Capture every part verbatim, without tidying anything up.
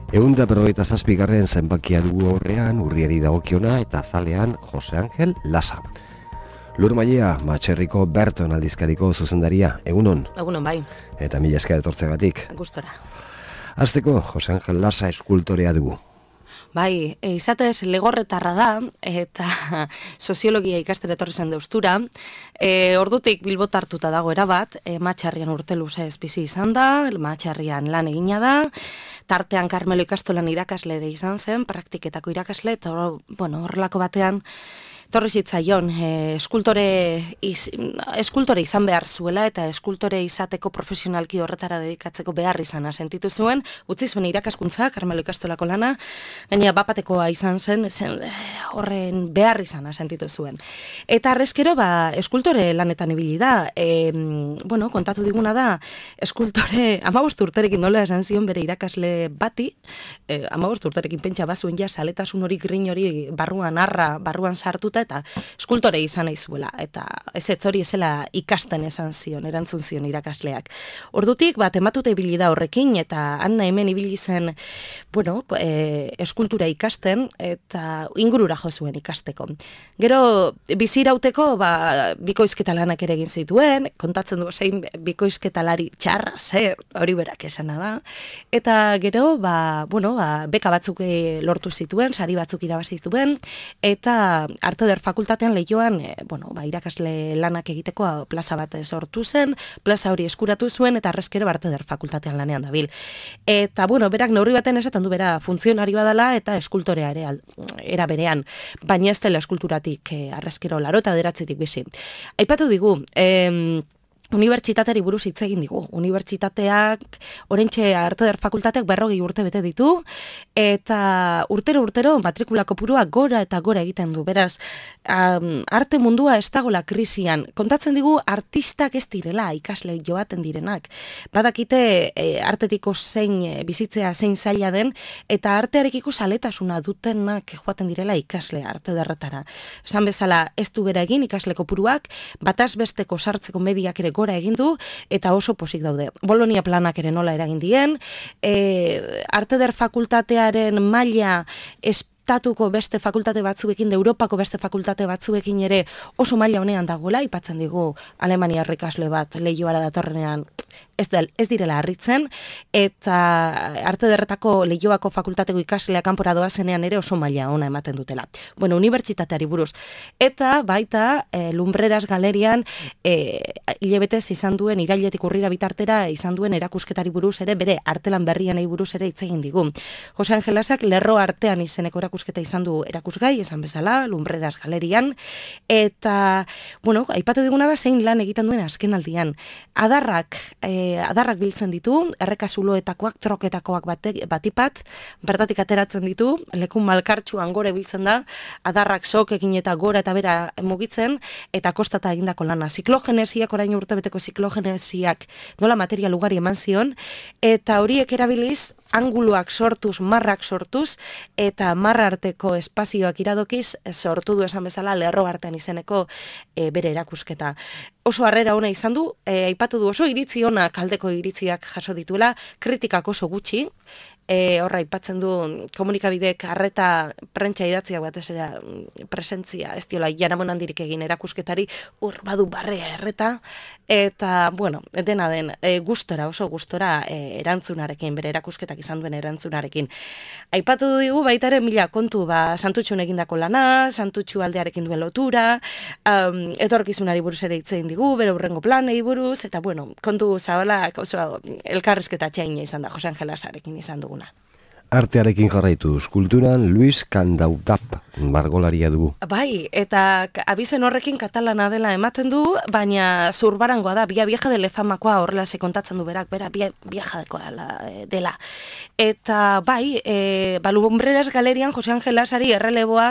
Ehun eta berrogeita zazpigarren zenbakia dugu horrean, urriari dagokiona eta zalean Jose Angel Lasa. Lur Mailea, Matxerriko Berton aldizkariko zuzendaria, egunon? Egunon bai. Eta mila esker etortzegatik. Gustora. Hasteko, Jose Angel Lasa eskultorea dugu. Bai, e, izatez legorretarra da, eta soziologia ikastera etorri zen deustura. E, ordutik Bilbot hartuta dago erabat, e, Matxarrian urte luzez bizi izan da, Matxarrian lan egina da, tartean Karmelo ikastolan irakasle ere izan zen, praktiketako irakasle, eta bueno, horrelako batean, torri zitzaion, e, eskultore, iz, eskultore izan behar zuela eta eskultore izateko profesionalki horretara dedikatzeko behar izana sentitu zuen, utzi zuen irakaskuntza, Karmelo ikastolako lana, gainera bapatekoa izan zen, zen horren behar izana sentitu zuen. Eta arrezkero, ba, eskultore lanetan ibili da, e, bueno, kontatu diguna da, eskultore, amabost urterekin nola esan zion bere irakasle bati, e, amabost urterekin pentsa bazuen ja, saletasun hori grin hori barruan arra, barruan sartuta, eta eskultore izan nahi zuela, eta ez ez hori ezela ikasten esan zion, erantzun zion irakasleak. Ordutik, bat, ematuta ibili da horrekin, eta Anna hemen ibili zen, bueno, e, eskultura ikasten, eta ingurura jo zuen ikasteko. Gero, bizirauteko, ba, bikoizketa lanak ere egin zituen, kontatzen du zein bikoizketalari txarra, zer, hori berak esana da, eta gero, ba, bueno, ba, beka batzuk lortu zituen, sari batzuk irabazi zituen, eta arte der fakultatean lehioan, e, bueno, ba, irakasle lanak egiteko plaza bat sortu zen, plaza hori eskuratu zuen, eta arrezkero arte der fakultatean lanean dabil. Eta, bueno, berak neurri baten esaten du bera funtzionarioa dela eta eskultorea ere era berean, baina ez dela eskulturatik e, arrezkero laro eta deratzetik bizi. Aipatu digu, em, unibertsitateari buruz hitz egin digu. Unibertsitateak, oraintxe arte der fakultateak berrogei urte bete ditu, eta urtero urtero matrikula kopurua gora eta gora egiten du. Beraz, um, arte mundua ez dagoela krisian. Kontatzen digu artistak ez direla ikasle joaten direnak. Badakite e, artetiko zein e, bizitzea zein zaila den, eta artearekiko saletasuna dutenak joaten direla ikasle arte derretara. Esan bezala ez du bera egin ikasle kopuruak, bataz besteko sartzeko mediak ere gora egin du, eta oso pozik daude. Bolonia planak ere nola eragin dien, e, arte der fakultatearen maila estatuko beste fakultate batzuekin, Europako beste fakultate batzuekin ere oso maila honean dagoela, aipatzen digu Alemaniar ikasle bat lehioara datorrenean ez, del, ez direla harritzen, eta arte derretako lehioako fakultateko ikasleak kanpora doazenean ere oso maila ona ematen dutela. Bueno, unibertsitateari buruz. Eta baita e, Lumbreras galerian e, hilabetez izan duen, irailetik urrira bitartera izan duen erakusketari buruz ere, bere artelan berrianei buruz ere hitz egin digu. Jose Angel Lasak lerro artean izeneko erakusketa izan du erakusgai, esan bezala, Lumbreras galerian, eta, bueno, aipatu diguna da zein lan egiten duen azken aldian. Adarrak, e, adarrak biltzen ditu, errekazuloetakoak, troketakoak bate, batipat, bertatik ateratzen ditu, lekun malkartxuan gore biltzen da, adarrak sokekin eta gora eta bera mugitzen, eta kostata egindako lana. Ziklogenesiak, orain urtebeteko ziklogenesiak nola material ugari eman zion, eta horiek erabiliz, anguluak sortuz, marrak sortuz, eta marra arteko espazioak iradokiz, sortu du esan bezala lerro artean izeneko e, bere erakusketa. Oso harrera ona izan du, e, aipatu du oso iritzi onak aldeko iritziak jaso dituela, kritikak oso gutxi, e, horra aipatzen du komunikabidek arreta prentsa idatziak batez ere presentzia, ez diola jaramon handirik egin erakusketari, hor badu barrea erreta, eta, bueno, dena den, e, gustora, oso gustora e, erantzunarekin, bere erakusketak izan duen erantzunarekin. Aipatu digu baitaren mila kontu, ba, Santutxun egindako lana, Santutxu aldearekin duen lotura, um, etorkizunari buruz ere hitz egin digu, bere urrengo planei buruz, eta, bueno, kontu zabalak oso elkarrezketa txaina izan da, Jose Angel Lasarekin izan duguna. Artearekin jarraituz, kulturan Luis Candautap, margolaria dugu. Bai, eta abizen horrekin katalana dela ematen du, baina zurbarangoa da, bia vieja de Lezamakoa horrela se kontatzen du berak, bera bia vieja dela. Eta bai, e, ba, Lumbreras galerian Jose Angel Lasari erreleboa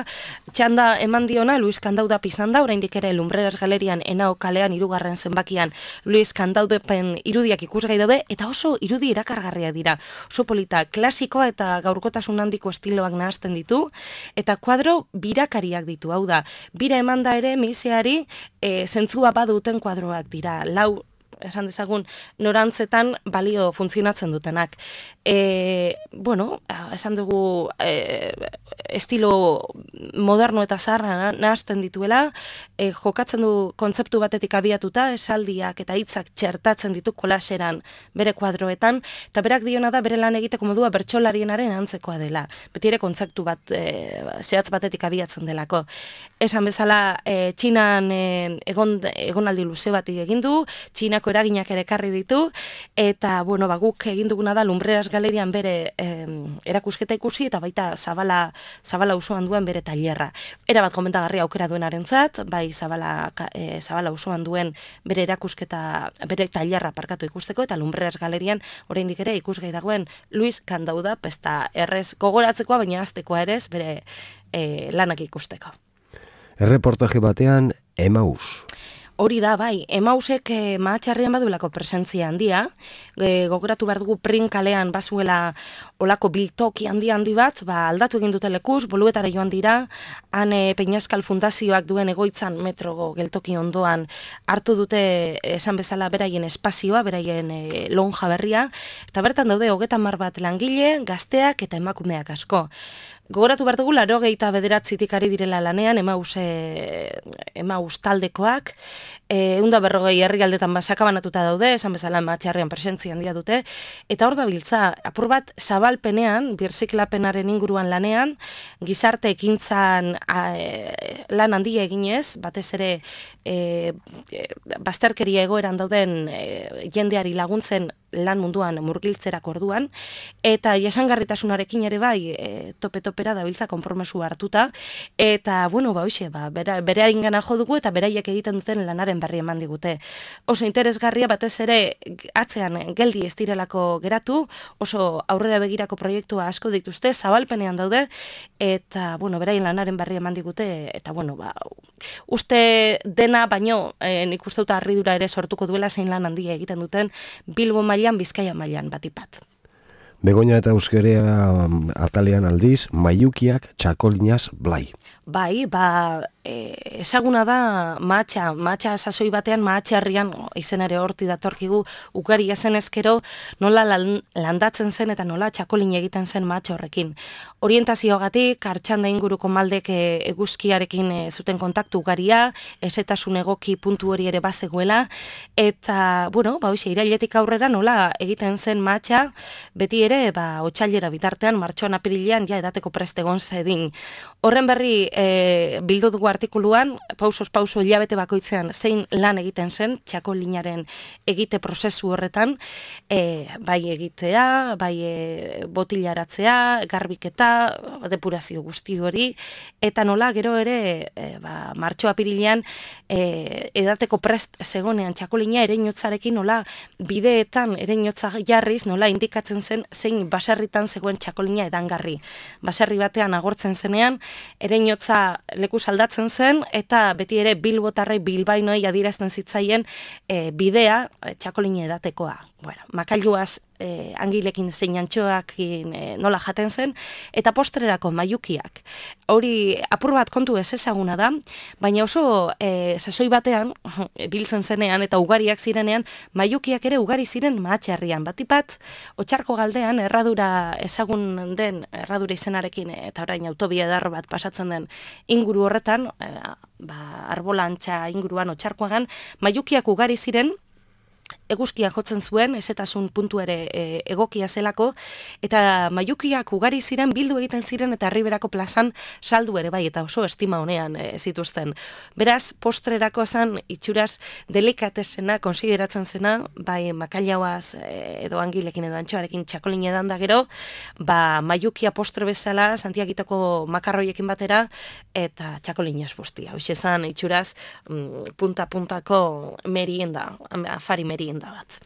txanda eman diona Luis Candautap izan da, oraindik ere Lumbreras galerian Henao kalean hirugarren zenbakian Luis Candautepen irudiak ikusgai daude, eta oso irudi erakargarria dira. Oso polita, klasikoa eta gaurkotasun handiko estiloak nahasten ditu, eta kuadro birakariak ditu, hau da, bira emanda ere miseari e, zentzua baduten kuadroak dira, lau esan dezagun, norantzetan balio funtzionatzen dutenak. E, bueno, esan dugu e, estilo moderno eta zaharra nahazten dituela, e, jokatzen du kontzeptu batetik abiatuta, esaldiak eta hitzak txertatzen ditu kolaseran bere kuadroetan, eta berak diona da bere lan egiteko modua bertsolarienaren antzekoa dela. Beti ere kontzeptu bat e, zehatz batetik abiatzen delako. Esan bezala, e, Txinan e, egon, egonaldi luze bat egin du, Txinako eraginak ere ekarri ditu, eta bueno, ba, guk egin duguna da Lumbreras Galerian bere e, erakusketa ikusi, eta baita Zabala, Zabala usoan duen bere tailerra. Era bat komentagarria aukera duenarentzat, bai Zabala, e, Zabala usoan duen bere erakusketa, bere tailerra parkatu ikusteko, eta Lumbreras Galerian oraindik ere ikusgai dagoen Luis Kandauda, pesta errez gogoratzekoa, baina aztekoa ere bere e, lanak ikusteko. Erreportaje batean, Emaus. Hori da, bai, Emausek e, mahatxarrian badulako presentzia handia, e, gogoratu behar dugu Prin kalean bazuela olako biltoki handi handi bat, ba, aldatu egin dute lekuz, Boluetara joan dira, han e, Peñaskal Fundazioak duen egoitzan metrogo geltoki ondoan hartu dute esan bezala beraien espazioa, beraien e, lonja berria, eta bertan daude hogeita hamar bat langile, gazteak eta emakumeak asko. Gogoratu behar dugu, laro gehieta bederatzitik ari direla lanean, Emaus, e, Emaus taldekoak, e, unda berrogei herrialdetan basakabanatuta daude, esan bezala matxarrean presentzia handia dute, eta hor da biltza, apur bat zabalpenean, birziklapenaren inguruan lanean, gizarte ekintzan a, e, lan handia eginez, batez ere e, e, bazterkeria egoeran dauden e, jendeari laguntzen lan munduan murgiltzerak orduan, eta jasangarritasunarekin ere bai e, tope-topera dabiltza konpromesu hartuta, eta, bueno, ba, hoxe, ba, bera, bere haringana jo dugu eta beraiek egiten duten lanaren berri eman digute. Oso interesgarria batez ere atzean geldi ez direlako geratu, oso aurrera begirako proiektua asko dituzte, zabalpenean daude, eta, bueno, beraien lanaren berri eman digute, eta, bueno, ba, uste dena, baino, e, nik uste dut harridura ere sortuko duela zein lan handia egiten duten Bilbo mailan, Bizkaia mailan batipat. Begoña eta Euskerea atalean aldiz, Maiukiak Txakolinaz Blai. Bai, ba, e, ezaguna da mahatxa, mahatxa sasoi batean, mahatxarrian, izen ere horti datorkigu, ugari ezen ezkero, nola lan, landatzen zen eta nola txakolin egiten zen mahatxa horrekin. Orientazioagatik, Artxanda inguruko maldek e, eguzkiarekin e, zuten kontaktu ugaria, esetasun egoki puntu hori ere bazegoela, eta, bueno, ba, hoxe, irailetik aurrera nola egiten zen mahatxa, beti ere, ba, otsailera bitartean, martxoan apirilean, ja edateko prest egon zedin. Horren berri, e, bildu dugu artikuluan, pausos pauso hilabete bakoitzean zein lan egiten zen, txakolinaren egite prozesu horretan, e, bai egitea, bai e, botilaratzea, garbiketa, depurazio guzti hori, eta nola gero ere, e, ba, martxo apirilean, e, edateko prest zegonean txakolina ereinotzarekin nola bideetan ereinotza jarriz, nola indikatzen zen zein baserritan zegoen txakolina edangarri. Baserri batean agortzen zenean, ereinotza leku aldatzen zen, eta beti ere bilbotarrei bilbainoi adierazten zitzaien e, bidea e, txakolina edatekoa. Bueno, makailuaz e, angilekin zein antxoakin e, nola jaten zen, eta postrerako maiukiak. Hori apur bat kontu ez ezaguna da, baina oso e, sasoi batean, biltzen zenean eta ugariak zirenean, maiukiak ere ugari ziren mahatxarrian. Batipat, Otsarko galdean, erradura ezagun den, erradura izenarekin, eta orain autobia edarro bat pasatzen den inguru horretan, e, ba, arbolantxa inguruan Otsarkoagan, maiukiak ugari ziren, eguzkia jotzen zuen, ezetasun puntu ere e, egokia zelako, eta maiukiak ugari ziren, bildu egiten ziren, eta Herriberako plazan saldu ere bai, eta oso estima honean e, zituzten. Beraz, postrerako zen itxuraz delikatesena, konsideratzen zena, bai makaiauaz e, edo angilekin edo antxoarekin txakolin edan da gero, ba, maiukia postre bezala, Santiagitoko makarroiekin batera, eta txakolinaz bustia. Hoxe zen itxuraz mm, punta-puntako merienda, afari merienda bat.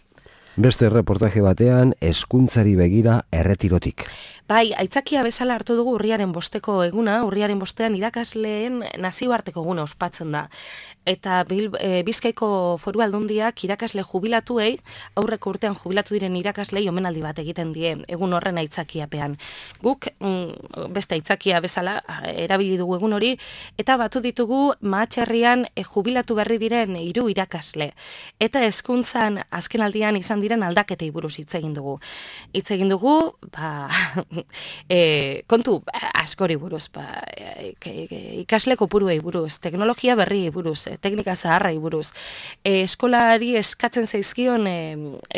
Beste reportaje batean, hezkuntzari begira erretirotik. Bai, aitzakia bezala hartu dugu urriaren bosteko eguna, urriaren bostean irakasleen nazioarteko eguna ospatzen da. Eta bil, e, Bizkaiko Foru Aldundiak irakasle jubilatuei, aurreko urtean jubilatu diren irakaslei omenaldi bat egiten die, egun horren aitzakiapean. Guk mm, beste aitzakia bezala erabili dugu egun hori, eta batu ditugu Mahatxerrian e, jubilatu berri diren hiru irakasle. Eta hezkuntzan azken aldian izan diren aldaketei buruz hitz egin dugu. Hitz egin dugu, ba, e, kontu askori buruz, ba, e, e, ikasle kopuruei buruz, teknologia berri buruz, teknika zaharrai buruz, e, eskolari eskatzen zaizkion e,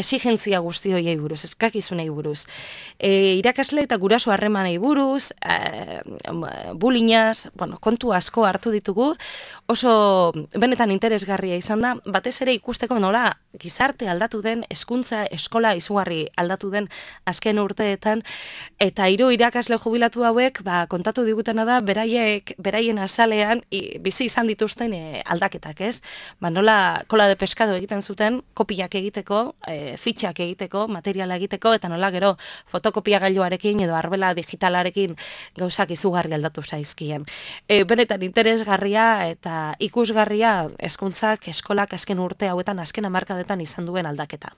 exigentzia guzti horiei buruz, eskakizunei buruz, e, irakasle eta guraso harremanei buruz, e, bulinaz, bueno, kontu asko hartu ditugu, oso benetan interesgarria izan da, batez ere ikusteko nola gizarte aldatu den, hezkuntza eskola izugarri aldatu den azken urteetan, eta hiru irakasle jubilatu hauek, ba, kontatu digutena da, beraiek, beraien azalean, i, bizi izan dituzten e, aldaketak, ez? Ba, nola kola de pescado egiten zuten, kopiak egiteko, e, fitxak egiteko, materiala egiteko, eta nola gero fotokopia gailuarekin edo arbela digitalarekin gauzak izugarri aldatu zaizkien. E, benetan interesgarria eta ikusgarria hezkuntzak eskolak azken urte hauetan, azken hamarkadetan izan duen aldaketa.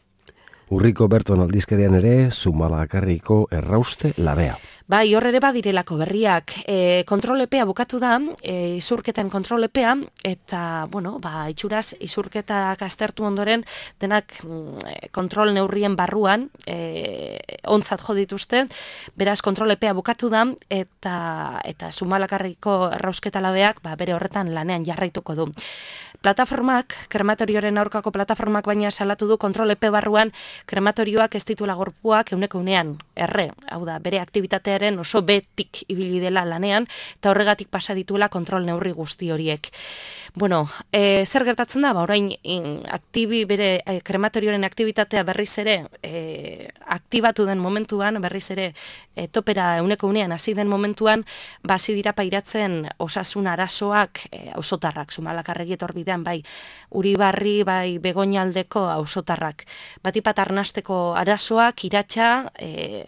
Urriko Berton aldizkarian ere, Zumalakarriko errauste labea. Bai, hor ere badirelako berriak. E, kontrolepea bukatu da, e, izurketen kontrolepea, eta, bueno, ba, itxuraz, izurketak aztertu ondoren, denak mm, kontrol neurrien barruan, e, ontzat jo dituzte, beraz, kontrolepea bukatu da, eta, eta Zumalakarriko errausketa labeak, ba, bere horretan lanean jarraituko du. Plataformak, krematorioaren aurkako plataformak baina salatu du kontrolepe barruan krematorioak ez ditula gorpuak euneko unean erre, hau da, bere aktibitatearen oso betik ibili dela lanean, eta horregatik pasa dituela kontrol neurri guzti horiek. Bueno, e, zer gertatzen da, ba, orain in, aktibi bere e, krematorioaren aktibitatea berriz ere e, aktibatu den momentuan, berriz ere e, topera euneko unean hasi den momentuan, ba, hasi dira pairatzen osasun arazoak e, auzotarrak, Zumalakarregi etorbidean, bai, Uribarri, bai, Begoñaldeko auzotarrak. Batipat arnasteko arazoak, iratxa, e,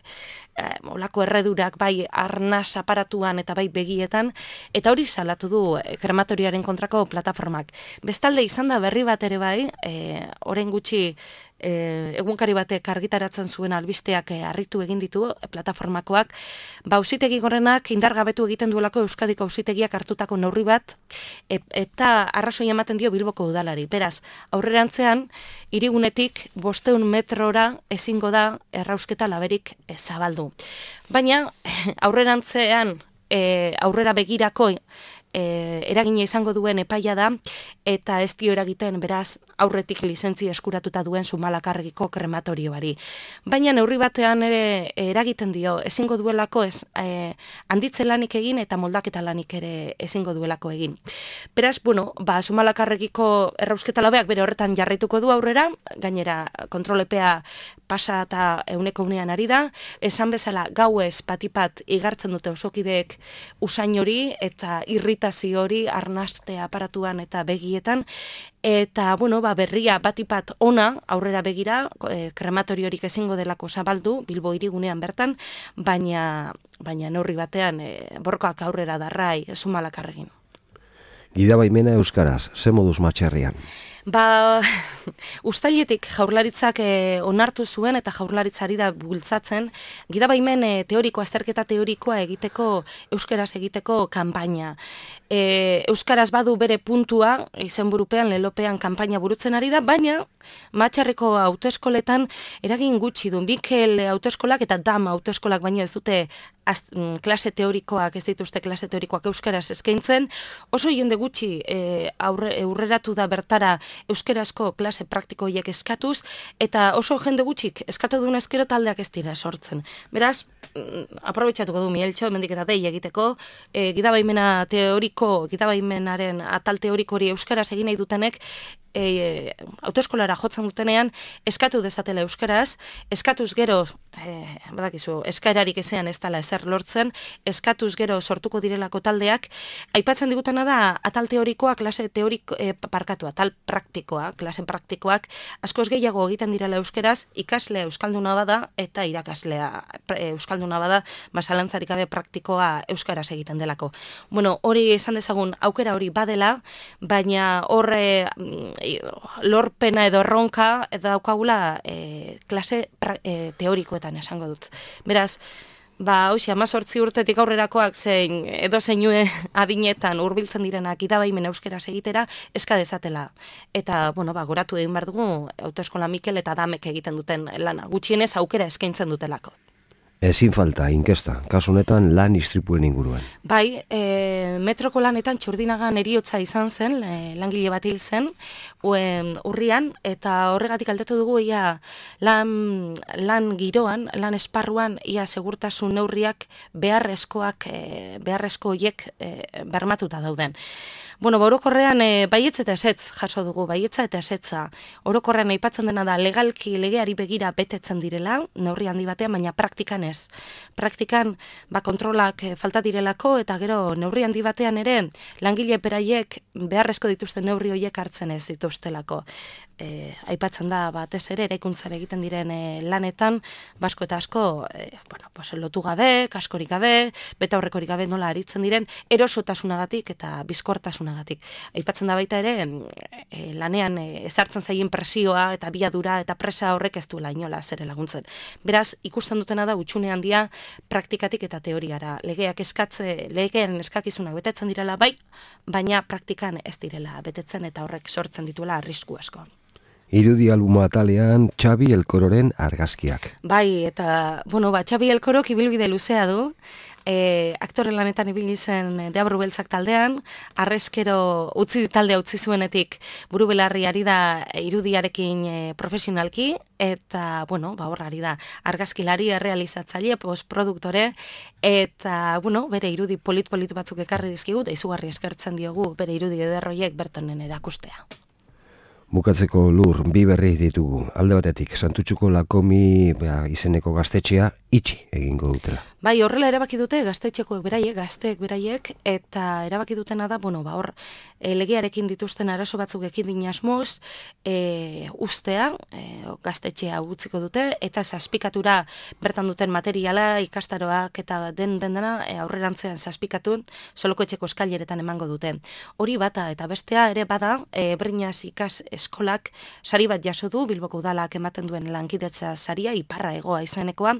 olako erredurak bai arnaz aparatuan eta bai begietan, eta hori salatu du krematoriaren kontrako plataformak. Bestalde izan da berri bat ere bai, e, orain gutxi E, egunkari batek argitaratzen zuen albisteak e, harritu egin ditu e, plataformakoak, ba auzitegi gorenak indargabetu egiten duelako Euskadiko auzitegiak hartutako neurri bat, e, eta arrazoi ematen dio Bilboko udalari. Beraz, aurrerantzean, hirigunetik bosteun metrora ezingo da errausketa laberik e, zabaldu. Baina, aurrerantzean, e, aurrera begirako E, eragina izango duen epaia da, eta ez dio eragiten beraz aurretik lizentzia eskuratuta duen Zumalakarregiko krematorioari. Baina neurri batean ere eragiten dio, ezingo duelako ez e, handitze lanik egin eta moldaketa lanik ere ezingo duelako egin. Beraz, bueno, ba, Zumalakarregiko errausketa labeak bere horretan jarraituko du aurrera, gainera kontrolepea pasa eta euneko unean ari da, esan bezala gauez batipat igartzen dute osokideek usain hori eta irritazio hori arnaste aparatuan eta begietan, eta bueno, ba, berria batipat ona aurrera begira, e, krematoriorik ezingo delako zabaldu, Bilbo hirigunean bertan, baina, baina neurri batean e, borkoak aurrera darrai Zumalakarregin. Gidabaimena euskaraz, ze moduz Mahatxerrian? Ba, uztailetik jaurlaritzak e, onartu zuen eta jaurlaritzari da bultzatzen, gidabaimen e, teoriko, azterketa teorikoa egiteko, euskaraz egiteko kanpaina. E, euskaraz badu bere puntua, izenburupean, lelopean kanpaina burutzen ari da, baina Mahatxerriko autoeskoletan eragin gutxi du, Mikel autoeskolak eta Dam autoeskolak baino ez dute az, m, klase teorikoak, ez dituzte klase teorikoak euskaraz eskaintzen, oso jende gutxi e, aurre, aurreratu da bertara euskarazko klase praktiko horiek eskatuz, eta oso jende gutxik eskatu duen ezkero taldeak ez dira sortzen. Beraz, aprobetxatuko du Mieltxo, mendik eta dei egiteko, e, gidabaimena teoriko, gidabaimenaren atal teoriko hori euskaraz egin nahi dutenek, e, autoeskolara jotzen dutenean, eskatu dezatela euskaraz, eskatuz gero, e, badakizu, eskaerarik ezean ez dela ezer lortzen, eskatuz gero sortuko direlako taldeak, aipatzen digutena da, atal teorikoa, klase teoriko, e, parkatu, atal praktikoa, klasen praktikoak, askoz gehiago egiten direla euskaraz, ikaslea euskalduna bada, eta irakaslea e, euskalduna bada, masalantzarik gabe praktikoa euskaraz egiten delako. Bueno, hori esan dezagun, aukera hori badela, baina horre lorpena edo erronka daukagula e, klase pra, e, teorikoetan esango dut. Beraz, ba, hoxe, amazortzi urtetik aurrerakoak zein edo zeinue adinetan hurbiltzen direnak idabaimen euskeraz egitera eska dezatela. Eta, bueno, ba, goratu egin behar dugu autoeskola Mikel eta Damek egiten duten lana. Gutxienez aukera eskaintzen dutelako. Ezin falta, inkesta, kasu honetan lan istripuen inguruan. Bai, e, metroko lanetan Txurdinagan eriotza izan zen, e, langile bat hil zen, uen, urrian, eta horregatik aldatu dugu ia lan, lan giroan, lan esparruan, ia segurtasun neurriak beharrezkoak, e, beharrezko hiek e, bermatuta dauden. Bueno, ba, orokorrean e, baietz eta esetz jaso dugu, baietza eta esetza. Orokorrean aipatzen dena da legalki legeari begira betetzen direla, neurri handi batean, baina praktikan ez. Praktikan ba, kontrolak e, falta direlako eta gero neurri handi batean ere langile beraiek beharrezko dituzten neurri horiek hartzen ez dituztelako. E, aipatzen da batez ere eraikuntzara egiten diren e, lanetan, basko eta asko e, bueno, pues, lotu gabe, kaskorik gabe, beta horrekorik gabe nola aritzen diren, erosotasunagatik eta bizkortasunagatik. Aipatzen da baita ere, e, lanean e, ezartzen zaien presioa eta biadura eta presa horrek ez duela inola zere laguntzen. Beraz, ikusten dutena da utxune handia praktikatik eta teoriara. Legeak eskatze, legeen eskakizunak betetzen direla bai, baina praktikan ez direla betetzen eta horrek sortzen dituela arrisku asko. Irudi albuma atalean Xabi Elkororen argazkiak. Bai, eta, bueno, ba, Xabi Elkorok ibilbide luzea du, e, aktore lanetan ibili zen Deabru Beltzak taldean, arrezkero utzi taldea utzi zuenetik buru belarri ari da irudiarekin e, profesionalki, eta, bueno, ba, hor ari da argazkilari, errealizatzaile, postproduktore, eta, bueno, bere irudi polit-polit batzuk ekarri dizkigu, da izugarri eskertzen diogu bere irudi ederroiek bertonen erakustea. Bukatzeko Lur, bi berri ditugu. Alde batetik, Santutxuko Lakomi ba, izeneko gaztetxea itxi egingo dutela. Bai, horrela erabaki dute gaztetxekoek beraiek, gazteek beraiek, eta erabaki dutena da, bueno, ba, hor, e, legearekin dituzten arazo batzuk ekidin asmoz, e, ustea, e, gaztetxea utziko dute, eta zazpikatura bertan duten materiala, ikastaroak eta den den dena e, aurrerantzean zazpikatun, soloko etxeko eskaileretan emango dute. Hori bata, eta bestea ere bada, e, Brinaz ikas eskolak sari bat jaso du, Bilboko udalak ematen duen lankidetza saria, iparra egoa izanekoa,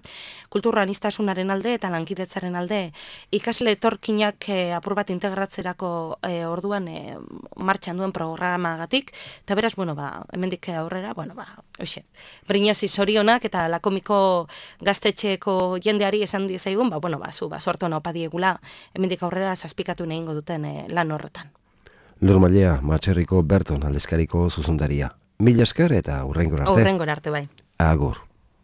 kultura aniztasunaren alde eta lankidetzaren alde ikasle etorkinak e, apur bat integratzerako e, orduan e, martxan duen programagatik, eta beraz, bueno, ba, hemendik aurrera, bueno, ba, hoxe, Brinazi zorionak eta Lakomiko gaztetxeko jendeari esan dizaigun, ba, bueno, ba, zu, ba, sortu hona opadiegula, hemendik aurrera zazpikatu nehingo duten e, lan horretan. Lur Mailea, Matxerriko Berton aldizkariko zuzundaria. Mila esker eta hurrengor arte. Hurrengor arte, bai. Agur.